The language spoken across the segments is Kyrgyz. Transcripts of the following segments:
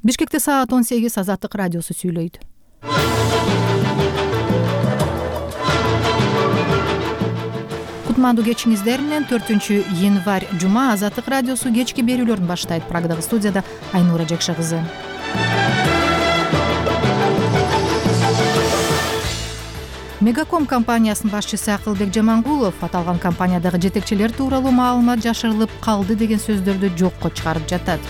Бишкекте саат 18 Азаттык радиосу сүйлөйт. Кутмандуу кечиңиздер менен 4-январь жума Азаттык радиосу кечки берүүлөрүн баштайт. Прагадагы студияда Айнура Жекше кызы. Мегаком компаниясынын башчысы Акылбек Жамангулов аталган компаниядагы жетекчилер тууралуу маалымат жашырылып калды деген сөздөрдү жокко чыгарып жатат.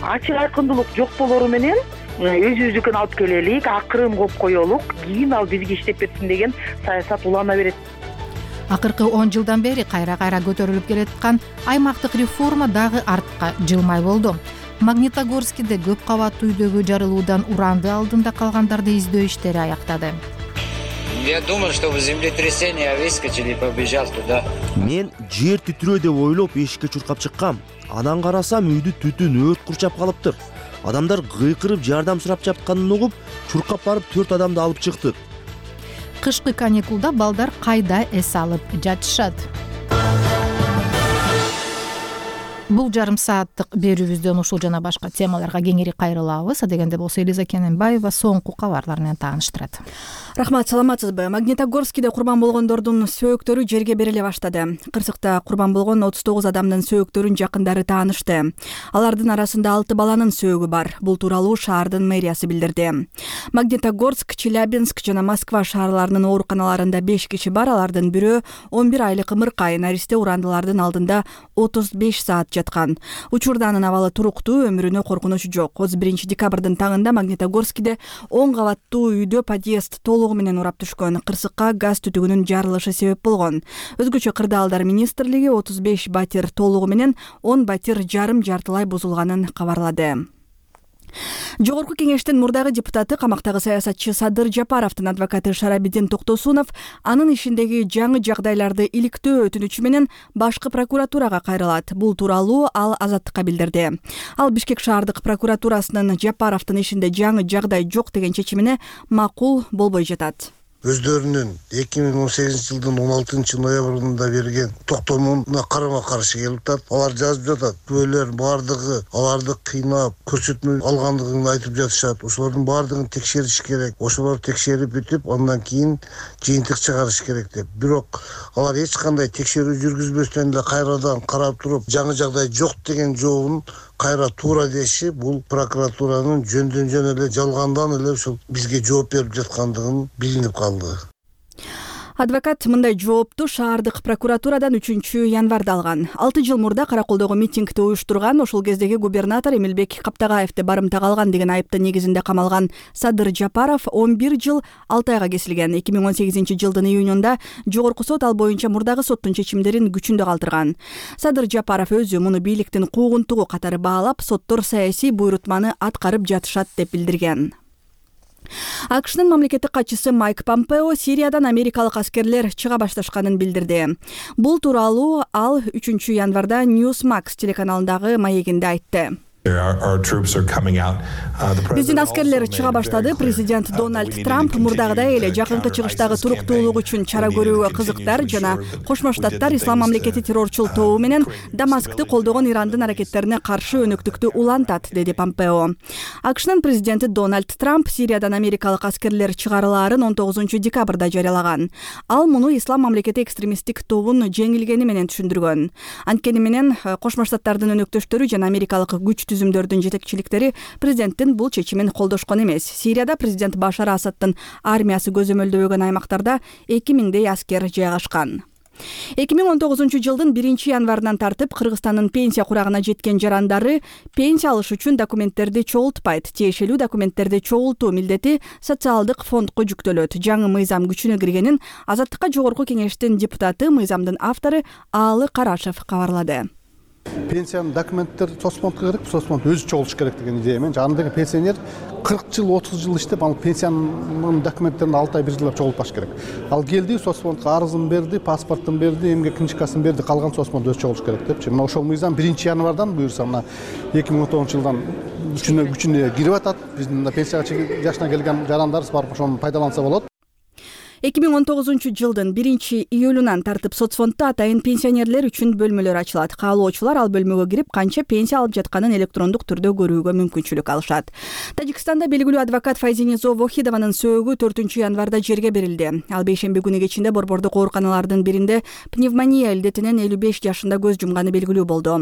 Ачык айкындуулук жок болору менен өзүбүздүкүн алып келелик, акырын коюп коелук, кийин ал бизге иштеп берсин деген саясат улана берет. Акыркы 10 жылдан бери кайра көтөрүлүп келаткан аймактык реформа дагы артка жылмай болду. Магнитогорскиде көп кабаттуу үйдөгү жарылуудан уранды алдында калгандарды издөө иштери аяктады. Я думал, что в землетрясение выскочили и побежал туда. Мен жер титирөө деп ойлоп эшикке чуркап чыккам. Анан карасам үйдү түтүн өрт курчап калыптыр. Адамдар кыйкырып жардам сурап жатканын угуп, чуркап барып 4 адамды алып чыктык. Кышкы каникулда балдар кайда эс алып жатышат? Бул жарым сааттык берүүбүздөн ушул жана башка темаларга кеңири кайрылабыз. Адегенде болсо Элиза Кененбаева соңку кабарлар менен тааныштырат. Рахмат, саламатсызбы? Магнитогорскиде курман болгондордун сөөгтөрү жерге бериле баштады. Кырсыкта курман болгон 39 адамдын сөөгтөрүн жакындары таанышты. Алардын арасында 6 баланын сөөгү бар. Бул тууралуу шаардын мэриясы билдирди. Магнитогорск, Челябинск жана Москва шаарларынын ооруканаларында 5 киши бар. Алардын бирөө 11 айлык ымыркай наристе урандылардын алдында 35 саат жаткан. Учурда анын абалы туруктуу, өмүрүнө коркунуч жок. 31 декабрдын таңында Магнитогорскиде 10 кабаттуу үйдө подъезд толугу менен урап түшкөн. Кырсыкка газ түтүгүнүн жарылышы себеп болгон. Өзгөчө кырдаалдар министрлиги 35 батир толугу менен 10 батир жарым жартылай бузулганын кабарлады. Жогорку кеңештин мурдагы депутаты, камактагы саясатчы Садыр Жапаровдун адвокаты Шарабидин Токтосунов анын ишиндеги жаңы жагдайларды иликтөө өтүнүчү менен башкы прокуратурага кайрылат. Бул тууралуу ал Азаттыкка билдирди. Ал Бишкек шаардык прокуратурасынын Жапаровдун ишинде жаңы жагдай жок деген чечимине макул болбой жатат. Өздөрүнүн 2018 жылдын 16 ноябрында берген токтомуна карама каршы келип атат. Алар жазып жатат. Күбөлөр бардыгы аларды кыйнап, көрсөтмө алгандыгын айтып жатышат. Ошолордун бардыгын текшериш керек. Ошолорду текшерип бүтүп, андан кийин жыйынтык чыгарыш керек деп. Бирок алар эч кандай текшерүү жүргүзбөстөн эле кайрадан карап туруп, жаңы жагдай жок деген жообун кайра туура деши, бул прокуратуранын жөндөн жөн эле жалгандан эле ушул бизге жооп берип жаткандыгын билинип калды. Адвокат мындай жоопту шаардык прокуратурадан 3-январда алган. 6 жыл мурда Караколдогу митингди уюштурган, ошол кездеги губернатор Эмилбек Каптагаевди барымтага алган деген айыптын негизинде камалган Садыр Жапаров 11 жыл 6 айга кесилген. 2018 жылдын июнунда жогорку сот ал боюнча мурдагы соттун чечимдерин күчүндө калтырган. Садыр Жапаров өзү муну бийликтин куугунтугу катары баалап, соттор саясий буйрутманы аткарып жатышат деп билдирген. АКШнын мамлекеттик катчысы Майк Помпео Сириядан америкалык аскерлер чыга башташканын билдирди. Бул тууралуу ал 3-январда Newsmax телеканалындагы маегинде айтты. Биздин аскерлер чыга баштады. Президент Дональд Трамп мурдагыдай эле жакынкы чыгыштагы туруктуулук үчүн чара көрүүгө кызыктар жана Кошмо Штаттар Ислам мамлекети террорчул тобу менен Дамаскты колдогон Ирандын аракеттерине каршы өнөктүктү улантат, деди Помпео. АКШнын президенти Дональд Трамп Сириядан америкалык аскерлер чыгарылаарын 19 декабрда жарыялаган. Ал муну Ислам мамлекети экстремисттик тобун жеңилгени менен түшүндүргөн. Анткени менен Кошмо Штаттардын өнөктөштөрү жана америкалык күч түзүмдөрдүн жетекчиликтери президенттин бул чечимин колдошкон эмес. Сирияда президент Башар Асадтын армиясы көзөмөлдөгөн аймактарда 2000дей аскер жайгашкан. 2019 жылдын 1-январынан тартып Кыргызстандын пенсия курагына жеткен жарандары пенсия алыш үчүн документтерди чогултпайт. Тиешелүү документтерди чогултуу милдети социалдык фондко жүктөлөт. Жаңы мыйзам күчүнө киргенин Азаттыкка жогорку кеңештин депутаты, мыйзамдын автору Аалы Карашев кабарлады. Пенсиянын документтер соцфондко керек, соцфонд өзү чогулуш керек деген идеямен. Андагы пенсионер 40 жыл, 30 жыл иштеп, ал пенсиянын документтерин 6 ай 1 жылдап чогултпаш керек. Ал келди, соцфондко арызын берди, паспортун берди, эмгек книжкасын берди, калган соцфонд өзү чогулуш керек депчи. Мына ошол мыйзам 1-январдан буюрса, мына 2019 жылдан күчүнө кирип атат. Биздин пенсия жашына келген жарандарыбыз барып ошону пайдаланса болот. 2019-жылдын 1-июлунан тартып соцфонддо атайын пенсионерлер үчүн бөлмөлөр ачылат. Каалоочулар ал бөлмөгө кирип канча пенсия алып жатканын электрондук түрдө көрүүгө мүмкүнчүлүк алышат. Тажикстанда белгилүү адвокат Файзинизо Вохидованын сөөгү 4-январда жерге берилди. Ал бейшемби күнү кечинде борбордук ооруканалардын биринде пневмония илдетинен 55 жашында көз жумганы белгилүү болду.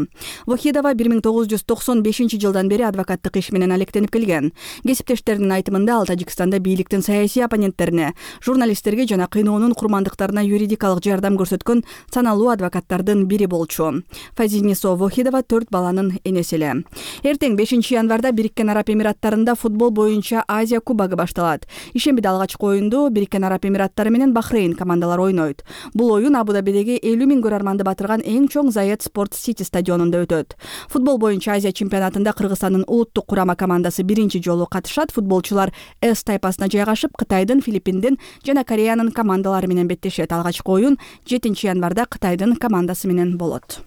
Вохидова 1995-жылдан бери адвокаттык иш менен алектенип келген. Кесиптештеринин айтымында ал Тажикстанда бийликтин саясий оппоненттерине, журналисттерге жана кыйноонун курмандыктарына юридикалык жардам көрсөткөн саналуу адвокаттардын бири болчу. Файзинисо Вохидова 4 баланын энеси эле. Эртең 5-январда Бириккен Араб Эмираттарында футбол боюнча Азия кубогу башталат. Ишембиде алгачкы оюнду Бириккен Араб Эмираттары менен Бахрейн командалары ойнойт. Бул оюн Абу-Дабидеги 50 000 көрөрманды батырган эң чоң Zayed Sport City стадионунда өтөт. Футбол боюнча Азия чемпионатында Кыргызстандын улуттук курама командасы биринчи жолу катышат. Футболчулар С тайпасына жайгашып, Кытайдын, Филиппиндин жана Кореянын командалары менен беттешет. Алгачкы оюн 7-январда Кытайдын командасы менен болот.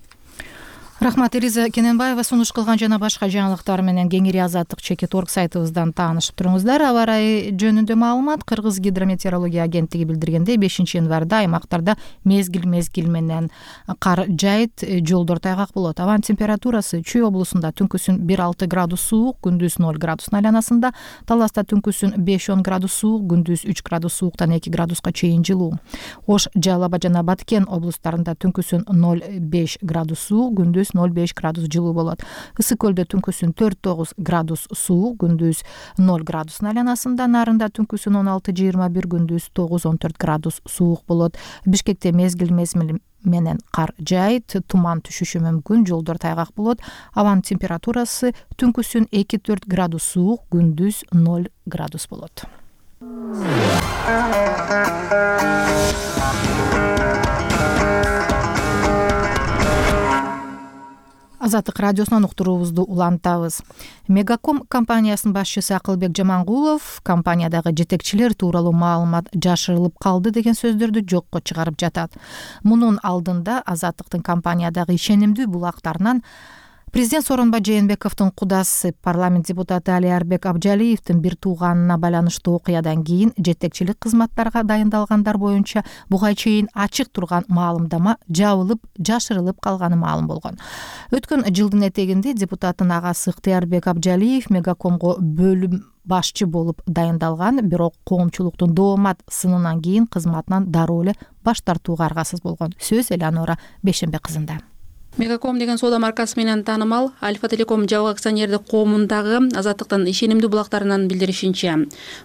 Рахмат, Элиза Кененбаева сунуш кылган жана башка жаңылыктар менен кеңири Азаттык.org сайтыбыздан таанышып туруңуздар. Аба ырайы жөнүндө маалымат Кыргыз гидрометеорология агенттиги билдиргендей 5-январда аймактарда мезгил менен кар жайыт, жолдор тайгак болот. Абанын температурасы Чүй облусунда түнкүсүн 1-6 градус суук, күндүз 0 градус айланасында, Таласта түнкүсүн 5-10 градус суук, күндүз 3 градус сууктан 2 градуска чейин жылуу. Ош, Жалал Абад жана Баткен облустарында түнкүсүн 0-5 градус суук, күндүз 0-5 градус жылуу болот. Ысык көлдө түнкүсүн 4-9 градус суук, күндүз 0 градус айланасында, Нарында түнкүсүн 16-21, күндүз 9-14 градус суук болот. Бишкекте мезгил менен кар жайыт, туман түшүшү мүмкүн, жолдор тайгак болот. Абанын температурасы түнкүсүн 2-4 градус суук, күндүз 0 градус болот. Азаттык радиосунан уктуруубузду улантабыз. Мегаком компаниясынын башчысы Акылбек Жамангулов компаниядагы жетекчилер тууралуу маалымат жашырылып калды деген сөздөрдү жокко чыгарып жатат. Мунун алдында Азаттыктын компаниядагы ишенимдүү булактарынан Президент Сооронбай Жээнбековдун кудасы парламент депутаты Алиарбек Абжалиевдин бир тууганына байланыштуу окуядан кийин жетекчилик кызматтарга дайындалгандар боюнча буга чейин ачык турган маалымдама жабылып, жашырылып калганы маалым болгон. Өткөн жылдын этегинде депутаттын агасы Ыктыярбек Абжалиев Мегакомго бөлүм башчы болуп дайындалган, бирок коомчулуктун доомат сынынан кийин кызматынан дароо эле баш тартууга аргасыз болгон. Сөз Элеонора Бейшембек кызында. Мегаком деген соода маркасы менен таанымал Альфа Телеком жабык акционердик коомундагы Азаттыктын ишенимдүү булактарынан билдиришинче,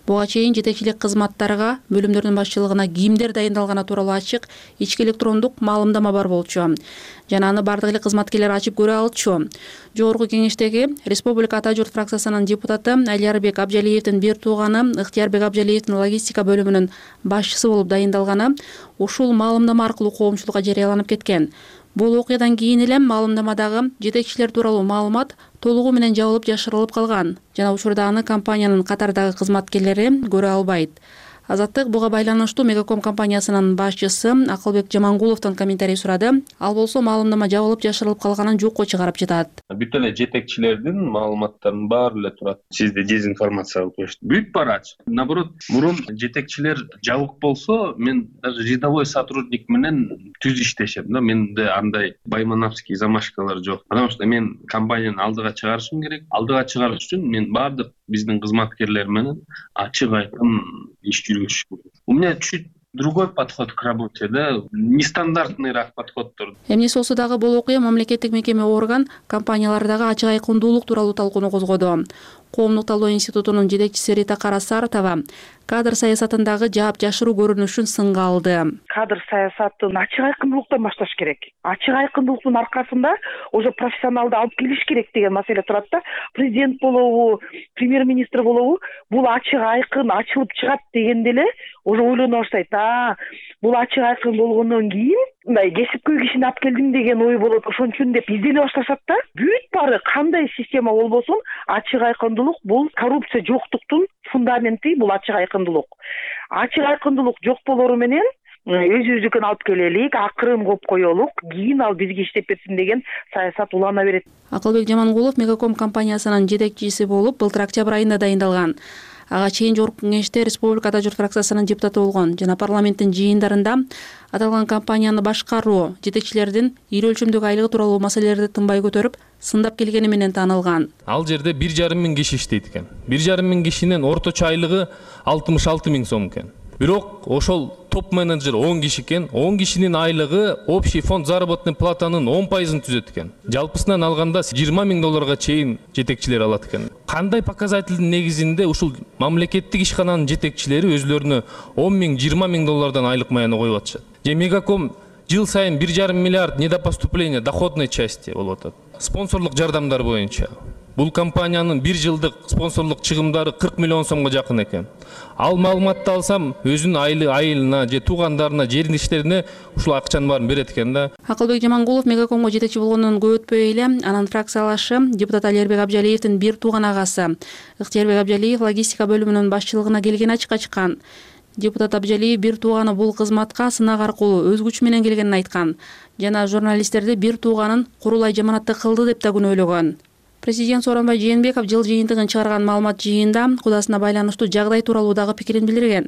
буга чейин жетекчилик кызматтарга бөлүмдөрдүн башчылыгына кимдер дайындалганы тууралуу ачык ички электрондук маалымдама бар болчу. Жана аны бардык эле кызматкерлер ачып көрө алчу. Жогорку кеңештеги Республика Ата журт фракциясынын депутаты Алиарбек Абжалиевдин бир тууганы Ыктыярбек Абжалиевдин логистика бөлүмүнүн башчысы болуп дайындалганы ушул маалымдама аркылуу коомчулукка жарыяланып кеткен. Бул окуядан кийин эле маалымдамадагы жетекчилер тууралуу маалымат толугу менен жабылып жашырылып калган жана учурда аны компаниянын катардагы кызматкерлери көрө албайт. Азаттык буга байланыштуу Мегаком компаниясынын башчысы Акылбек Жамангуловдон комментарий сурады. Ал болсо маалымдама жабылып жашырылып калганын жокко чыгарып жатат. Бүт эле жетекчилердин маалыматтарынын баары эле турат. Сизди дезинформация кылып коюшту. Бүт барачы. Наоборот, мурун жетекчилер жабык болсо, мен даже рядовой сотрудник менен түз иштешем да. Менде андай баймановский замашкалар жок. Потому что мен компанияны алдыга чыгарышым керек. Алдыга чыгарыш үчүн мен баардык биздин кызматкерлер менен ачык айкын иш жүргүзүш керек. У меня чуть другой подход к работе, да, нестандартныйраак подходдор. Эмнеси болсо дагы бул окуя мамлекеттик мекеме орган компаниялардагы ачык айкындуулук тууралуу талкууну козгоду. Коомдук талдоо институтунун жетекчиси Рита Карасаратова кадр саясатындагы жаап жашыруу көрүнүшүн сынга алды. Кадр саясатын ачык айкындуулуктан башташ керек. Ачык айкындуулуктун аркасында уже профессионалды алып келиш керек деген маселе турат да. Президент болобу, премьер-министр болобу, бул ачык айкын ачылып чыгат дегенде эле уже ойлоно баштайт. Бул ачык айкын болгондон кийин мындай кесипкөй кишини алып келдим деген ой болот. Ошон үчүн деп издене башташат да. Бүт баары кандай система болбосун ачык айкындуулук бул коррупция жоктуктун фундаменти, бул ачык айкындуулук. Ачык айкындуулук жок болору менен өзүбүздүкүн алып келелик, акырын коюп коелук, кийин ал бизге иштеп берсин деген саясат улана берет. Акылбек Жамангулов Мегаком компаниясынын жетекчиси болуп былтыр октябрь айында дайындалган. Ага чейин Жогорку Кеңеште Республика Ата журт фракциясынын депутаты болгон жана парламенттин жыйындарында аталган компанияны башкаруу, жетекчилердин ир өлчөмдөгү айлыгы тууралуу маселелерди тынбай көтөрүп, сындап келгени менен таанылган. Ал жерде 1,5 миң киши иштейт экен. 1,5 миң кишинин орточо айлыгы 66 миң сом экен. Бирок ошол топ менеджер 10 киши экен. 10 кишинин айлыгы общий фонд заработной платанын 10% түзөт экен. Жалпысынан алганда 20 миң долларга чейин жетекчилер алат экен. Кандай показательдин негизинде ушул мамлекеттик ишкананын жетекчилери өзлөрүнө 10 миң, 20 миң доллардан айлык маяны коюп атышат. Же Мегаком жыл сайын 1,5 миллиард недопоступления доходной части болуп атат. Спонсорлук жардамдар боюнча бул компаниянын 1 жылдык спонсорлук чыгымдары 40 миллион сомго жакын экен. Ал маалыматты алсам, өзүнүн айылына же туугандарына, жериндиштерине ушул акчанын баарын берет экен да. Акылбек Жамангулов Мегакомго жетекчи болгондон көп өтпөй эле анын фракциялашы депутат Алербек Абжалиевдин бир тууган агасы Ыктыярбек Абжалиев логистика бөлүмүнүн башчылыгына келген ачыкка чыккан. Депутат Абжалиев бир тууганы бул кызматка сынак аркылуу өз күчү менен келгенин айткан жана журналисттерди бир тууганын курулай жаманатты кылды деп да күнөөлөгөн. Президент Сооронбай Жээнбеков жыл жыйынтыгын чыгарган маалымат жыйында кудасына байланыштуу жагдай тууралуу дагы пикирин билдирген.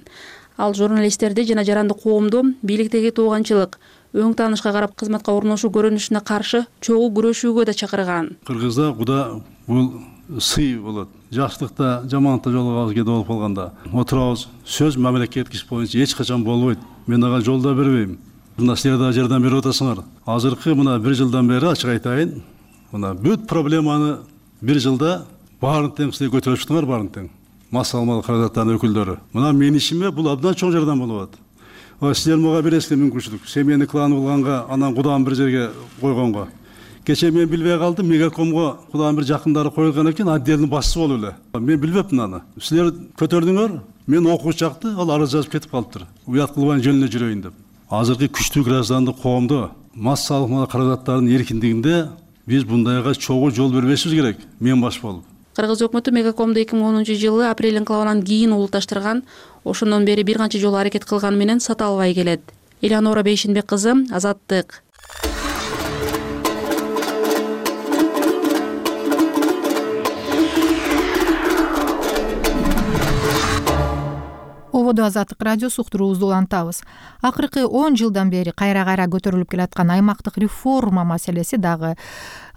Ал журналисттерди жана жарандык коомду бийликтеги тууганчылык, өң таанышка карап кызматка орношуу көрүнүшүнө каршы чогуу күрөшүүгө да чакырган. Кыргызда куда бул сый болот. Жакшылыкта, жаманатта жолугабыз кээде болуп калганда отурабыз. Сөз мамлекеттик иш боюнча эч качан болбойт. Мен ага жол да бербейм. Мына силер да жардам берип атасыңар. Азыркы мына 1 жылдан бери ачык айтайын. Мына бүт проблеманы 1 жылда баарын тең силер көтөрүп чыктыңар, баарын тең. Мас алмалы каражаттардын өкүлдөрү. Мына менин ишиме бул абдан чоң жардам болуп атат. Силер мага бересиздер мүмкүнчүлүк. Семейный клан булганга, анан кудам бир жерге койгонго. Кече мен билбей калдым, Мегакомго кудам бир жакындары коюлган экен, отделдин башчысы болуп эле. Мен билбепмин аны. Силер көтөрдүңөр, мен окуу чакты, ал арыз жазып кетип калыптыр. Уят кылбай жөнүнө жүрөйүн деп. Азыркы күчтүү граждандык коомдо мас алмалы каражаттардын эркиндигинде биз бундайга чогуу жол бербешибиз керек. Мен баш болуп. Кыргыз өкмөтү Мегакомду 2010-жылы апрель инкылабынан кийин улутташтырган, ошондон бери бир канча жолу аракет кылган менен сата албай келет. Элеонора Бейшинбек кызы, Азаттык. Ободо Азаттык радиосу уктуруубузду улантабыз. Акыркы 10 жылдан бери кайра-кайра көтөрүлүп келаткан аймактык реформа маселеси дагы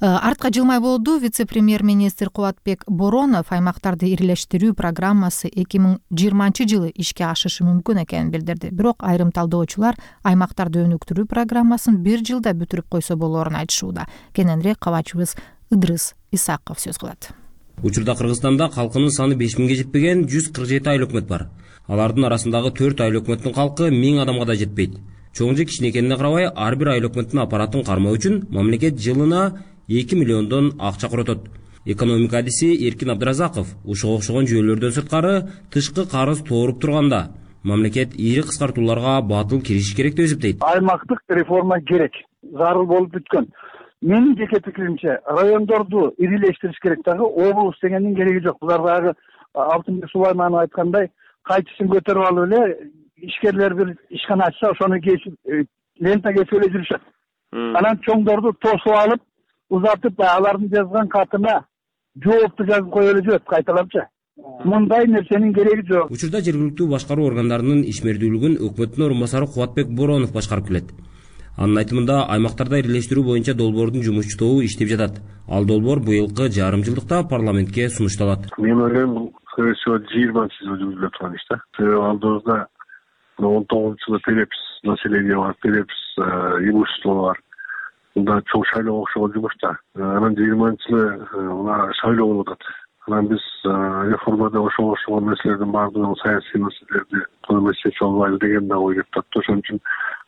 артка жылмай болду. Вице-премьер-министр Кубатбек Боронов аймактарды ирлештирүү программасы 2020-жылы ишке ашышы мүмкүн экенин билдирди. Бирок айрым талдоочулар аймактарды өнүктүрүү программасын 1 жылда бүтүрүп койсо болоорун айтышууда. Кененирээк кабачыбыз Ыдрыс Исаков сөз кылат. Учурда Кыргызстанда калкынын саны 5000ге жетпеген 147 айыл өкмөт бар. Алардын арасындагы 4 айыл өкмөттүн калкы 1000 адамга да жетпейт. Чоң же кичине экенине карабай, ар бир айыл өкмөттүн аппаратын кармоо үчүн мамлекет жылына 2 миллиондон акча коротот. Экономика адиси Эркин Абдыразаков ушуга окшогон жүйөлөрдөн сырткары тышкы карыз тооруп турганда мамлекет ири кыскартууларга батыл киришиш керек деп эсептейт. Аймактык реформа керек, зарыл болуп бүткөн. Менин жеке пикиримче, райондорду ирилештириш керек дагы, облус дегендин кереги жок. Булар дагы Алтынбек Сулайманов айткандай, кайчысын көтөрүп алып эле ишкерлер бир ишкана ачса, ошону кесип лента кесип эле жүрүшөт. Анан чоңдорду тосуп алып, узатып, алардын жазган катына жоопту жазып коюп эле жүрөт кайталапчы. Мындай нерсенин кереги жок. Учурда жергиликтүү башкаруу органдарынын ишмердүүлүгүн өкмөттүн орун басары Кубатбек Боронов башкарып келет. Анын айтымында аймактарда ирлештирүү боюнча долбоордун жумуш тобу иштеп жатат. Ал долбоор быйылкы жарым жылдыкта парламентке сунушталат. Мен ойлойм, скорее всего 20-жылы жүргүзүлө турган иш да. Себеби алдыбызда 19-жылы перепис населения бар, перепис имущество бар. Мында чоң шайлоого окшогон жумуш да. Анан 20-жылы мына шайлоо болуп атат. Анан биз реформада ошого окшогон нерселердин баардыгын, саясий маселелерди колдой чечип албайлы деген да ой келип атат. Ошон үчүн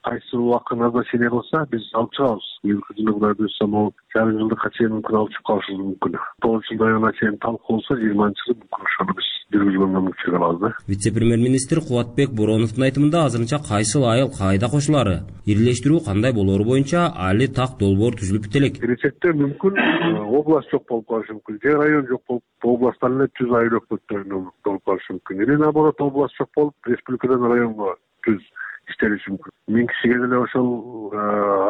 кайсы убакыт назначение кылса биз алып чыгабыз. Быйылкы жылы Кудай буйрса могу жарым жылдыкка чейин мүмкүн алып чыгып калышыбыз мүмкүн. 9 жылдан чейин талкууласа 20-жылы мүмкүн ошону биз жүргүзгөнгө мүмкүнчүлүк алабыз да. Вице-премьер-министр Кубатбек Бороновдун айтымында азырынча кайсыл айыл кайда кошулары, ирлештирүү кандай болоору боюнча али так долбоор түзүлүп бите элек. Келечекте мүмкүн область жок болуп калышы мүмкүн, же район жок болуп, областтан эле түз айыл өкмөттөрүнөн болуп калышы мүмкүн. Или наоборот, область жок болуп, республикадан районго түз иштелиши мүмкүн. 1000 кишиге деле ошол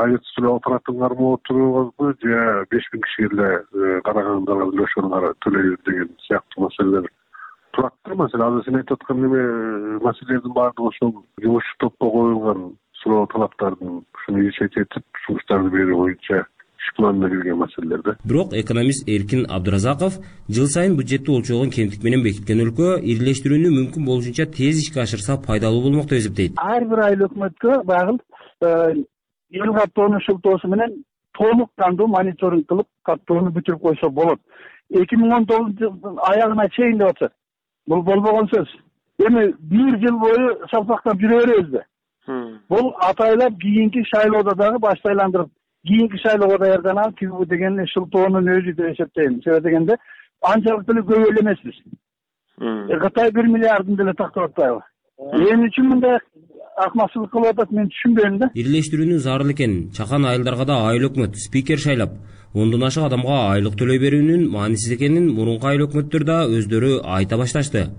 айлык төлөп аппаратын кармоо турганбы, же 5000 кишиге деле карагандарга деле ошону төлөйбүз деген сыяктуу маселелер турат. маселе. Азыр сен айтып аткан неме маселелердин баардыгы ошол жумушчу топко коюлган суроо талаптардын ушуну изучать этип жумуштарды берүү боюнча иш планына кирген маселелер да. Бирок экономист Эркин Абдыразаков жыл сайын бюджетти өлчөгөн кемтик менен бекиткен өлкө ирилештирүүнү мүмкүн болушунча тез ишке ашырса пайдалуу болмок деп эсептейт. Ар бир айыл өкмөткө багыл эл каттоону шылтоосу менен толук кандуу мониторинг кылып каттоону бүтүрүп койсо болот. 2019 жылдын аягына чейин деп атышат. Бул болбогон сөз. Эми бир жыл бою салпактап жүрө беребизби? Бул атайлап кийинки шайлоодо дагы башты айландырып, кийинки шайлоого даярданам тигүү деген шылтоонун өзү деп эсептейм. Себеби дегенде анчалык деле көп эле эмеспиз. Кытай 1 миллиардын деле тактап атпайбы? Эмне үчүн мындай акмакчылык кылып атат мен түшүнбөйм да. Ирилештирүүнү зарыл экен. Чакан айылдарга да айыл өкмөт спикер шайлап, 10дон ашык адамга айлык төлөй берүүнүн маанисиз экенин мурунку айыл өкмөттөр да өздөрү айта башташты.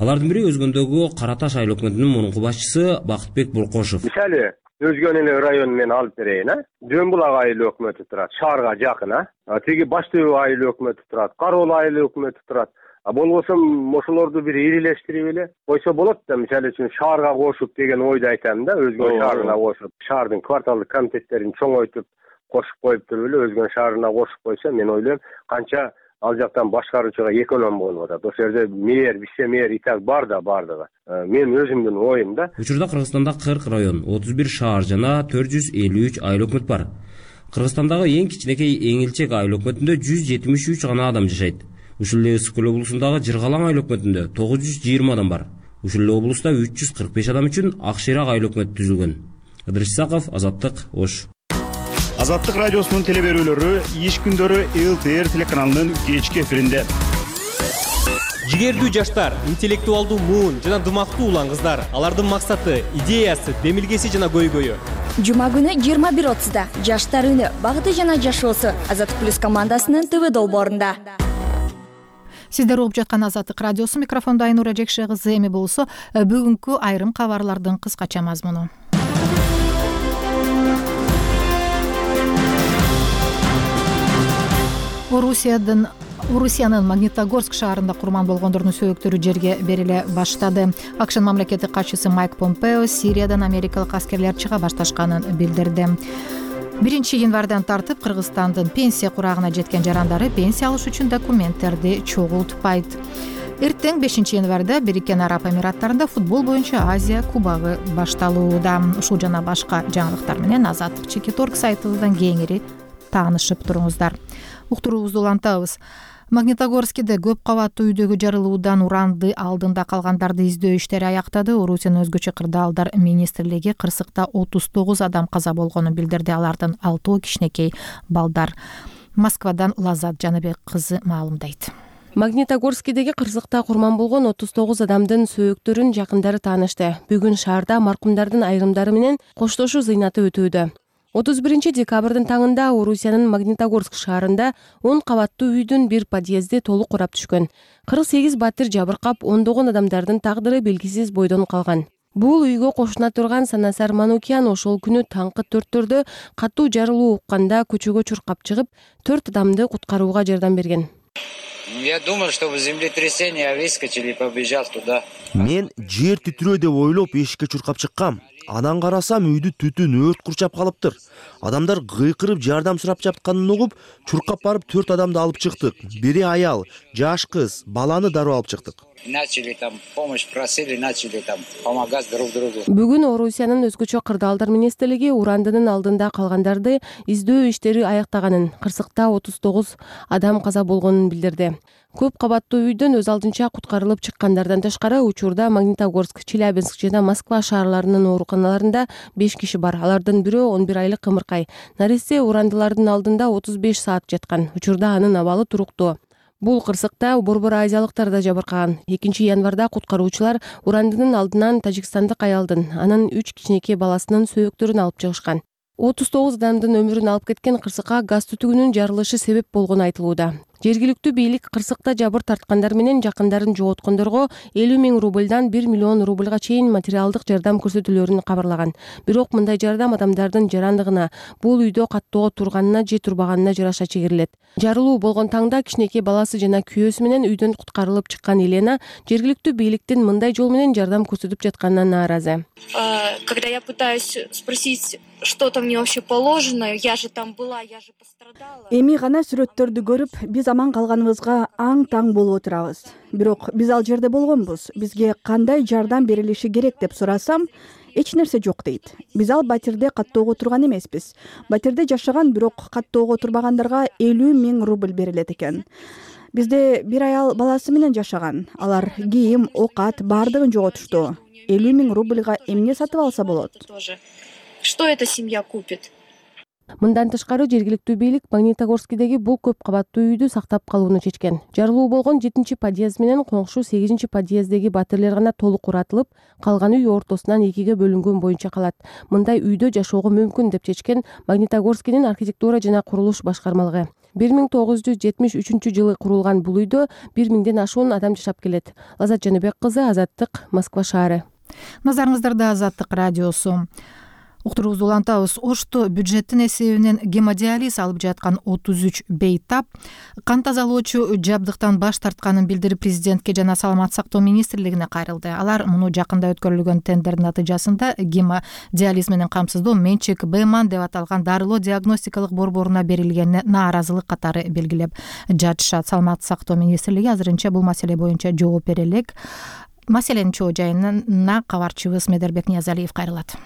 Алардын бири Өзгөндөгү Кара Таш айыл өкмөтүнүн мурунку башчысы Бакытбек Буркошев. Мисалы Өзгөн эле районун мен алып берейин, Жөн булак айыл өкмөтү турат, шаарга жакын, Тиги Баш Төбө айыл өкмөтү турат, Кароол айыл өкмөтү турат. Болбосо ошолорду бир ирилештирип эле койсо болот да. Мисалы үчүн шаарга кошуп деген ойду айтам да. Өзгөн шаарына кошуп, шаардын кварталдык комитеттерин чоңойтуп кошуп коюп туруп эле Өзгөн шаарына кошуп койсо, мен ойлойм, канча ал жактан башкаруучуга эконом болуп атат. Ошол жерде мэр, вице-мэр и так бар да бардыгы. Мен өзүмдүн оюм да. Учурда Кыргызстанда 40 район, 31 шаар жана 453 айыл өкмөт бар. Кыргызстандагы эң кичинекей эң илчек айыл өкмөтүндө 173 гана адам жашайт. Ушул эле Ысык көл облусундагы Жыргалаң айыл өкмөтүндө 920 адам бар. Ушул эле облуста 345 адам үчүн Ак Шыйрак айыл өкмөтү түзүлгөн. Ыдырыс Исаков, Азаттык, Ош. Азаттык радиосунун телеберүүлөрү иш күндөрү ЛТР телеканалынын кечки эфиринде. Жигердүү жаштар, интеллектуалдуу муун жана дымактуу улан кыздар. Алардын максаты, идеясы, демилгеси жана көйгөйү. Жума күнү 21:30да Жаштар үнү, багыты жана жашоосу Азаттык плюс командасынын ТВ долбоорунда. Сиздер угуп жаткан Азаттык радиосу, микрофондо Айнура Жекше кызы. Эми болсо бүгүнкү айрым кабарлардын кыскача мазмуну. Орусиянын Магнитогорск шаарында курман болгондордун сөөктөрү жерге бериле баштады. АКШнын мамлекеттик катчысы Майк Помпео Сириядан америкалык аскерлер чыга башташканын билдирди. 1 январдан тартып Кыргызстандын пенсия курагына жеткен жарандары пенсия алыш үчүн документтерди чогултпайт. Эртең 5 январда Бириккен Араб Эмираттарында футбол боюнча Азия кубогу башталууда. Ушул жана башка жаңылыктар менен Азаттык Чекиторг сайтыбыздан кеңири таанышып туруңуздар. Уктуруубузду улантабыз. Магнитогорскиде көп кабаттуу үйдөгү жарылуудан уранды алдында калгандарды издөө иштери аяктады. Орусиянын өзгөчө кырдаалдар министрлиги кырсыкта 39 адам каза болгонун билдирди. Алардын 6 кичинекей балдар. Москвадан Лазат Жаныбек кызы маалымдайт. Магнитогорскидеги кырсыкта курман болгон 39 адамдын сөөктөрүн жакындары таанышты. Бүгүн шаарда маркумдардын айрымдары менен коштошуу зыйнаты өтүүдө. 31 декабрдын таңында Орусиянын Магнитогорск шаарында 10 кабаттуу үйдүн бир подъезди толук курап түшкөн. 48 батир жабыркап, ондогон адамдардын тагдыры белгисиз бойдон калган. Бул үйгө кошуна турган Санасар Манукян ошол күнү таңкы 4-төрдө катуу жарылуу укканда көчөгө чуркап чыгып, 4 адамды куткарууга жардам берген. Я думал, что в землетрясение выскочили и побежал туда. Мен жер титирөө деп ойлоп эшикке чуркап чыккам. Анан карасам үйдү түтүн өрт курчап калыптыр. Адамдар кыйкырып жардам сурап жатканын угуп, чуркап барып 4 адамды алып чыктык. Бири аял, жаш кыз, баланы дароо алып чыктык. Начали там помощь просили, начали там помогать друг другу. Бүгүн Орусиянын өзгөчө кырдаалдар министрлиги урандынын алдында калгандарды издөө иштери аяктаганын, кырсыкта 39 адам каза болгонун билдирди. Көп кабаттуу үйдөн өз алдынча куткарылып чыккандардан тышкары учурда Магнитогорск, Челябинск жана Москва шаарларынын ооруканаларында 5 киши бар. Алардын бирөө 11 айлык кымыркай. Нарисе урандылардын алдында 35 саат жаткан. Учурда анын абалы туруктуу. Бул кырсыкта борбор азиялыктар да жабыркаган. 2 январда куткаруучулар урандынын алдынан тажикстандык аялдын, анын 3 кичинекей баласынын сөөктөрүн алып чыгышкан. 39 адамдын өмүрүн алып кеткен кырсыкка газ түтүгүнүн жарылышы себеп болгону айтылууда. Жергиликтүү бийлик кырсыкта жабыр тарткандар менен жакындарын жоготкондорго 50 000 рубльдан 1 миллион рубльга чейин материалдык жардам көрсөтүүлөрүн кабарлаган. Бирок мындай жардам адамдардын жарандыгына, бул үйдө каттоого турганына же турбаганына жараша чегирилет. Жарылуу болгон таңда кичинекей баласы жана күйөөсү менен үйдөн куткарылып чыккан Елена жергиликтүү бийликтин мындай жол менен жардам көрсөтүп жатканына нааразы. Когда я пытаюсь спросить, что-то мне вообще положено, я же там была, я же пострадала. Эми гана сүрөттөрдү көрүп, биз аман калганыбызга аң-таң болуп отурабыз. Бирок биз ал жерде болгонбуз. Бизге кандай жардам берилиши керек деп сурасам, эч нерсе жок дейт. Биз ал батирде каттоого турган эмеспиз. Батирде жашаган, бирок каттоого турбагандарга 50 000 рубль берилет экен. Бизде бир аял баласы менен жашаган. Алар кийим, оокат баардыгын жоготушту. 50 000 рубльга эмне сатып алса болот? Что эта семья купит? Мындан тышкары жергиликтүү бийлик Магнитогорскидеги бул көп кабаттуу үйдү сактап калууну чечкен. Жарылуу болгон 7-подъезд менен коңшу 8-подъездеги батирлер гана толук уратылып, калган үй ортосунан экиге бөлүнгөн боюнча калат. Мындай үйдө жашоого мүмкүн деп чечкен Магнитогорскинин архитектура жана курулуш башкармалыгы. 1973 жылы курулган бул үйдө 1000ден ашуун адам жашап келет. Лазат Жаныбек кызы, Азаттык, Москва шаары. Назарыңыздарда Азаттык радиосу. Уктуруубузду улантабыз. Ошто бюджеттин эсебинен гемодиализ алып жаткан 33 бейтап кан тазалоочу жабдыктан баш тартканын билдирип президентке жана Саламаттык сактоо министрлигине кайрылды. Алар муну жакында өткөрүлгөн тендердин натыйжасында гемодиализ менен камсыздоо менчик Бман деп аталган дарылоо диагностикалык борборуна берилгенине нааразылык катары белгилеп жатышат. Саламаттык сактоо министрлиги азырынча бул маселе боюнча жооп бере элек. Маселенин чоо жайына кабарчыбыз Медербек Ниязалиев кайрылат.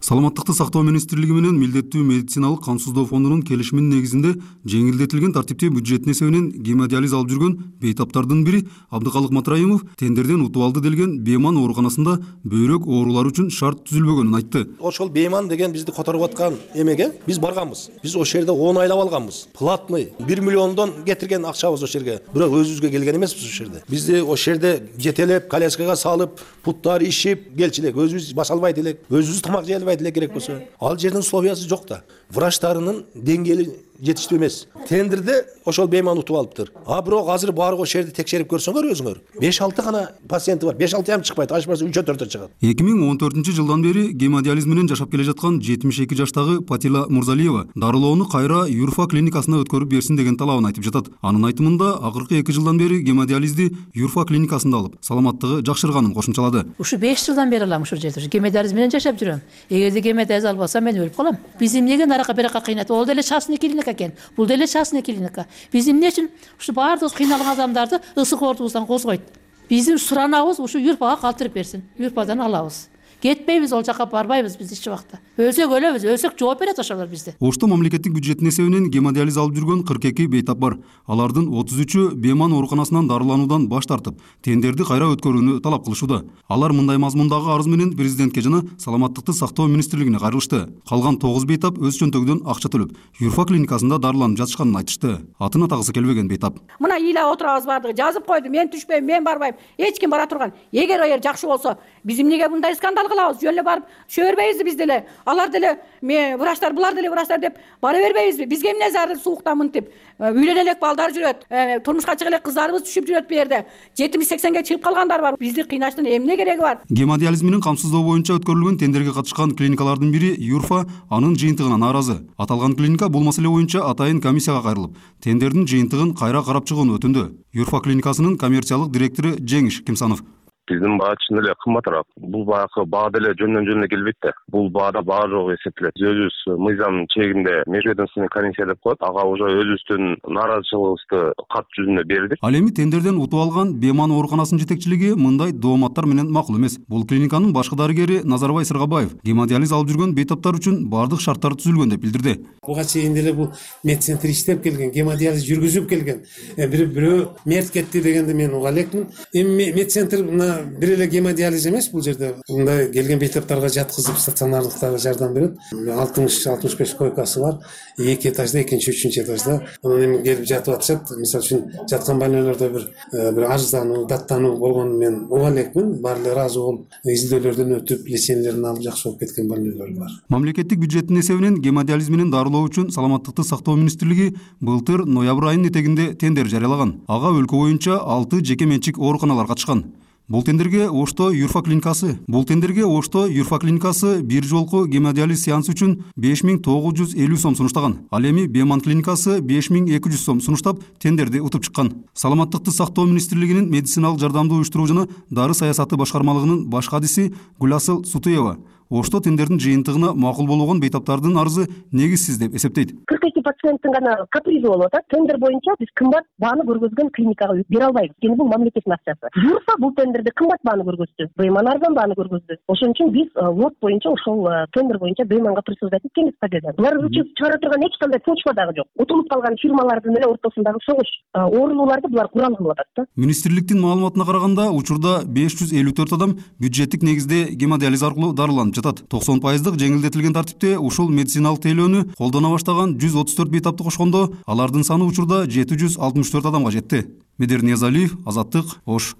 Саламаттыкты сактоо министрлиги менен милдеттүү медициналык камсыздоо фондунун келишиминин негизинде жеңилдетилген тартипте бюджеттин эсебинен гемодиализ алып жүргөн бейтаптардын бири Абдыкалык Матраимов тендерден утуп алды делген Беман ооруканасында бөйрөк оорулары үчүн шарт түзүлбөгөнүн айтты. Ошол Беман деген бизди которуп аткан эмеге биз барганбыз. Биз ошол жерде 10 айлап алганбыз. Платный 1 миллиондон кетирген акчабыз ошол жерге. Бирок өзүбүзгө келген эмеспиз ошол жерде. Бизди ошол жерде жетелеп, коляскага салып, путтар ишип келчилек, өзүбүз баса албайт элек, өзүбүз тамак жей албайт элек керек болсо. Ал жердин условиясы жок да. Врачтарынын деңгээли жетиштүү эмес. Тендерде ошол Беман утуп алыптыр. Бирок азыр барып ошол жерди текшерип көрсөңөр өзүңөр. 5-6 гана пациенти бар. 5-6 ям чыкпайт. Ашпаса 3-4 чыгат. 2014-жылдан бери гемодиализ менен жашап келе жаткан 72 жаштагы Патила Мурзалиева дарылоону кайра Юрфа клиникасына өткөрүп берсин деген талабын айтып жатат. Анын айтымында акыркы 2 жылдан бери гемодиализди Юрфа клиникасында алып, саламаттыгы жакшырганын кошумчалады. Ушу 5 жылдан бери алам ушул жерде. Гемодиализ менен жашап жүрөм. Эгерде гемодиализ албасам мен өлүп калам. Биз эмнеге нарака берака кыйнат? Ол деле частный клиника экен. Бул деле частный клиника. Биз эмне үчүн ушу баардык кыйналган адамдарды ысык оорубуздан козгойт? Биздин суранабыз ушу Юрфага калтырып берсин. Юрфадан алабыз. Кетпейбиз, ол жака барбайбыз биз эч убакта. Өлсөк өлөбүз, өлсөк жооп берет ошолор бизде. Ошто мамлекеттик бюджеттин эсебинен гемодиализ алып жүргөн 42 бейтап бар. Алардын 33-ü Беман ооруканасынан дарылануудан баш тартып, тендерди кайра өткөрүүнү талап кылышууда. Алар мындай мазмундагы арыз менен президентке жана Саламаттыкты сактоо министрлигине кайрылышты. Калган 9 бейтап өз чөнтөгүдөн акча төлөп, Юрфа клиникасында дарыланып жатышканын айтышты. Атын атагысы келбеген бейтап. Мына ыйлап отурабыз бардыгы, жазып койду. Мен түшпөйм, мен барбайм. Эч ким бара турган. Эгер жакшы болсо, биз эмнеге мындай скандал кылабыз? Жөн эле барып шөөрбөйбүзбү биз деле? Алар деле врачтар, булар деле врачтар деп бара бербейбизби? Бизге эмне зарыл сууктан мынтип? Үйлөнө элек балдар жүрөт. Турмушка чыга элек кыздарыбыз түшүп жүрөт бу жерде. 70-80ге чыгып калгандар бар. Бизди кыйнаштын эмне кереги бар? Гемодиализ менен камсыздоо боюнча өткөрүлгөн тендерге катышкан клиникалардын бири Юрфа анын жыйынтыгына нааразы. Аталган клиника бул маселе боюнча атайын комиссияга кайрылып, тендердин жыйынтыгын кайра карап чыгууну өтүндү. Юрфа клиникасынын коммерциялык директору Жеңиш Кимсанов. Биздин баа чын эле кымбатыраак. Бул баакы баа деле жөндөн келбейт да. Бул баада баа жок эсептелет. Өзүбүз мыйзам чегинде межведомственный комиссия деп коет. Ага уже өзүбүздүн нааразычылыгыбызды кат жүзүндө бердик. Ал эми тендерден утуп алган Беман ооруканасынын жетекчилиги мындай дооматтар менен макул эмес. Бул клиниканын башкы дарыгери Назарбай Сыргабаев гемодиализ алып жүргөн бейтаптар үчүн бардык шарттар түзүлгөн деп билдирди. Буга чейин деле бул медцентр иштеп келген, гемодиализ жүргүзүп келген. Бирөө мерт кетти дегенди мен уга элекмин. Эми медцентр бир эле гемодиализ эмес, бул жерде мындай келген бейтаптарга жаткызып стационардыктагы жардам берет. 60-65 койкасы бар. 2 этажда, 2-3 этажда. Анан эми келип жатып атышат. Мисалы үчүн жаткан больнойлордо бир арыздануу, даттануу болгонун мен уга элекмин. Баары эле ыраазы болуп, изилдөөлөрдөн өтүп, лечениялерин алып жакшы болуп кеткен больнойлор бар. Мамлекеттик бюджеттин эсебинен гемодиализ менен дарылоо үчүн Саламаттыкты сактоо министрлиги былтыр ноябрь айынын этегинде тендер жарыялаган. Ага өлкө боюнча 6 жеке менчик ооруканалар катышкан. Бул тендерге Ошто Юрфа клиникасы бир жолку гемодиализ сеансы үчүн 5950 сом сунуштаган. Ал эми Беман клиникасы 5200 сом сунуштап тендерди утуп чыккан. Саламаттыкты сактоо министрлигинин медициналык жардамды уюштуруу жана дары саясаты башкармалыгынын баш кадиси Гүласыл Сутуева Ошто тендердин жыйынтыгына макул болгон бейтаптардын арызы негизсиз деп эсептейт. 42 пациенттин гана капризи болуп атат. Тендер боюнча биз кымбат бааны көргөзгөн клиникага бере албайбыз. Анткени бул мамлекеттин акчасы. Юрфа бул тендерде кымбат бааны көргөздү. Бейман арзан бааны көргөздү. Ошон үчүн биз лот боюнча ошол тендер боюнча Бейманга присуждать эткенбиз победа. Булар үчүн чыгара турган эч кандай почва дагы жок. Утулуп калган фирмалардын эле ортосундагы согуш оорулууларды булар курал кылып атат да. Министрликтин маалыматына караганда, учурда 554 адам бюджеттик негизде гемодиализ аркылуу дарыланып жатат. 90% жеңилдетилген тартипте ушул медициналык тейлөөнү колдоно баштаган 134 бейтапты кошкондо, алардын саны учурда 764 адамга жетти. Медер Ниязалиев, Азаттык, Ош.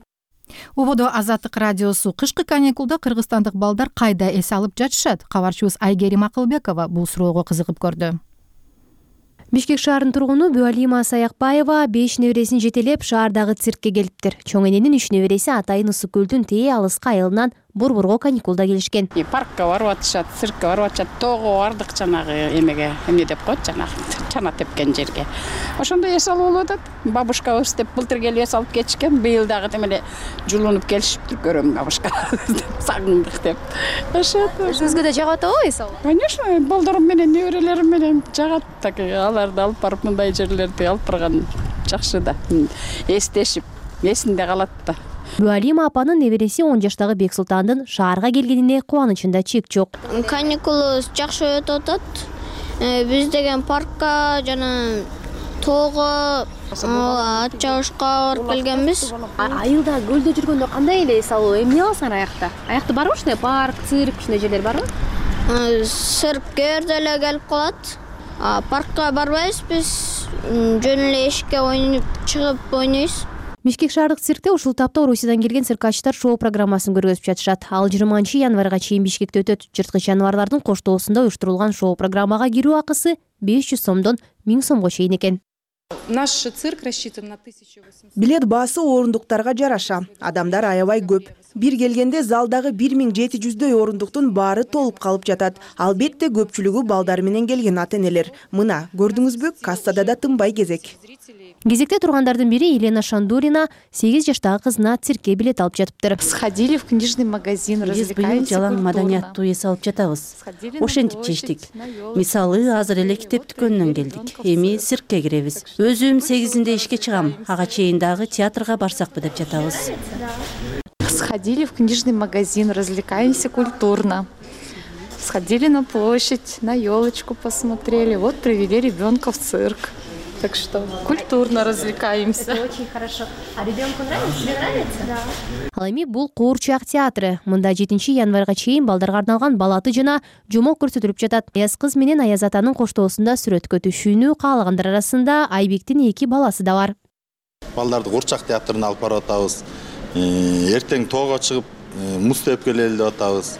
Убодо Азаттык радиосу. Кышкы каникулда кыргызстандык балдар кайда эс алып жатышат? Кабарчыбыз Айгерим Акылбекова бул суроого кызыгып көрдү. Бишкек шаарынын тургуну Бюалима Саякбаева 5 небересин жетелеп шаардагы циркке келиптир. Чоң эненин 3 небереси атайын Ысык көлдүн тээ алыска айылынан Борборго каникулда келишкен. Паркка барып атышат, циркке барып атышат, тоого бардык жанагы эмеге, эмне деп коет, жанагы чана тепкен жерге. Ошондо эс алып болуп атат. Бабушкабыз деп былтыр келип эс алып кетишкен, быйыл дагы демеле жулунуп келишиптир, көрөм бабушка. Сагындык деп. Ошо. Сизге да жагат атабы эс алып? Конечно, балдарым менен, неберелерим менен жагат. Так аларды алып барып мындай жерлерди алып барган жакшы да. Эстешип, эсинде калат да. Бюалима апанын небереси 10 жаштагы Бексултандын шаарга келгенине кубанычында чек жок. Каникулубуз жакшы өтүп атат. Биз деген паркка жана тоого, ат чабышка барып келгенбиз. Айылда көлдө жүргөндө кандай эле эс алуу? Эмне аласыңар аякта? Аякта барбы ушундай парк, цирк, ушундай жерлер барбы? Цирк кээ эле келип калат. Паркка барбайбыз, биз жөн эле эшикке ойноп чыгып ойнойбуз. Бишкек шаардык циркте ушул тапта Орусиядан келген циркачтар шоу программасын көргөзүп жатышат. Ал 20-январга чейин Бишкекте өтөт. Жырткыч жаныбарлардын коштоосунда уюштурулган шоу программага кирүү акысы 500 сомдон 1000 сомго чейин экен. Наш цирк рассчитан на 1800. Билет баасы орундуктарга жараша. Адамдар аябай көп. Бир келгенде залдагы 1700дөй орундуктун баары толуп калып жатат. Албетте көпчүлүгү балдар менен келген ата-энелер. Мына, көрдүңүзбү, кассада да тынбай кезек. Кезекте тургандардын бири Елена Шандурина 8 жаштагы кызына циркке билет алып жатыптыр. Сходили в книжный магазин, развлекаемся. Жалаң маданияттуу эс алып жатабыз. Ошентип чечтик. Мисалы, азыр эле китеп дүкөнүнөн келдик. Эми циркке киребиз. Өзүм 8-inde ишке чыгам. Ага чейин дагы театрга барсакпы деп жатабыз. Сходили в книжный магазин, развлекаемся культурно. Сходили на площадь, на елочку посмотрели. Вот привели ребенка в цирк. Так что культурно развлекаемся. Это очень хорошо. А ребенку нравится? Тебе нравится? Да. Ал эми бул Куурчак театры. Мында 7-январга чейин балдарга арналган балаты жана жомок көрсөтүлүп жатат. Аяз кыз менен Аяз атанын коштоосунда сүрөткө түшүүнү каалагандар арасында Айбектин 2 баласы да бар. Балдарды Куурчак театрына алып барып атабыз. Эртең тоого чыгып муз теп келели деп атабыз.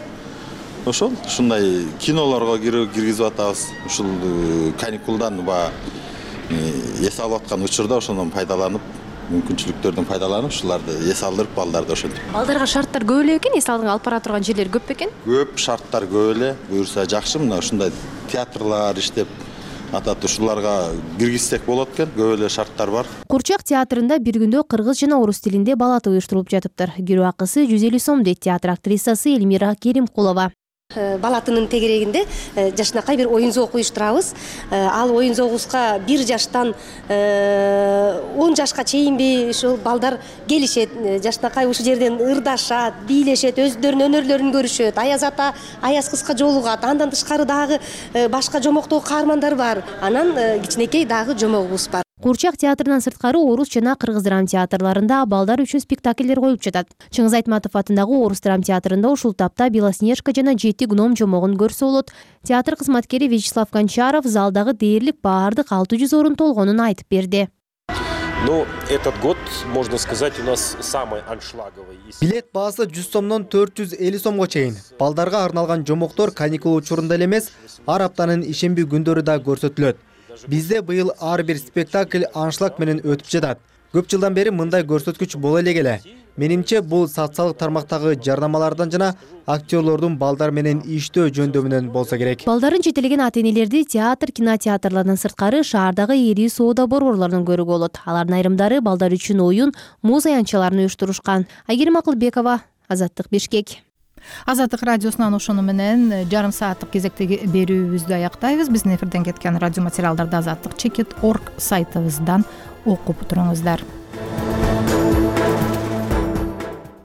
Ошол ушундай кинолорго киргизип атабыз. Ушул каникулдан эс алып аткан учурда ошондон пайдаланып, мүмкүнчүлүктөрдөн пайдаланып, ушуларды эс алдырып балдарды ошентип. Балдарга шарттар көп эле экен, эс алып бара турган жерлер көп бекен? Көп шарттар көп эле, буюрса жакшы. Мына ушундай театрлар иштеп атат, ушуларга киргизсек болот экен, көп эле шарттар бар. Куурчак театрында бир күндө кыргыз жана орус тилинде балаты уюштурулуп жатыптыр. Кирүү акысы 150 сом дейт театр актрисасы Эльмира Керимкулова. Балатынын тегерегинде жашынакай бир оюн зоок уюштурабыз. Ал оюн зоогубузга 1 жаштан 10 жашка чейинби ушул балдар келишет. Жашынакай ушул жерден ырдашат, бийлешет, өздөрүнүн өнөрлөрүн көрүшөт. Аяз ата Аяз кызга жолугат. Андан тышкары дагы башка жомоктогу каармандар бар. Анан кичинекей дагы жомогубуз бар. Куурчак театрынан сырткары орус жана кыргыз драма театрларында балдар үчүн спектакльдер коюлуп жатат. Чыңгыз Айтматов атындагы орус драма театрында ушул тапта Белоснежка жана 7 гном жомогун көрсө болот. Театр кызматкери Вячеслав Гончаров залдагы дээрлик баардык 600 орун толгонун айтып берди. Ну, этот год, можно сказать, у нас самый аншлаговый. Билет баасы 100 сомдон 450 сомго чейин. Балдарга арналган жомоктор каникул учурунда эле эмес, ар аптанын ишемби күндөрү да көрсөтүлөт. Бизде быйыл ар бир спектакль аншлаг менен өтүп жатат. Көп жылдан бери мындай көрсөткүч боло эле келе. Менимче бул социалдык тармактагы жарнамалардан жана актерлордун балдар менен иштөө жөндөмүнөн болсо керек. Балдарын жетелеген ата-энелерди театр, кинотеатрлардан сырткары шаардагы ири соода борборлорунан көрүүгө болот. Алардын айрымдары балдар үчүн оюн, муз аянтчаларын уюштурушкан. Айгерим Акылбекова, Азаттык, Бишкек. Азаттык радиосунан ошону менен жарым сааттык кезектеги берүүбүздү аяктайбыз. Биздин эфирден кеткен радио материалдарды Азаттык.org сайтыбыздан окуп туруңуздар.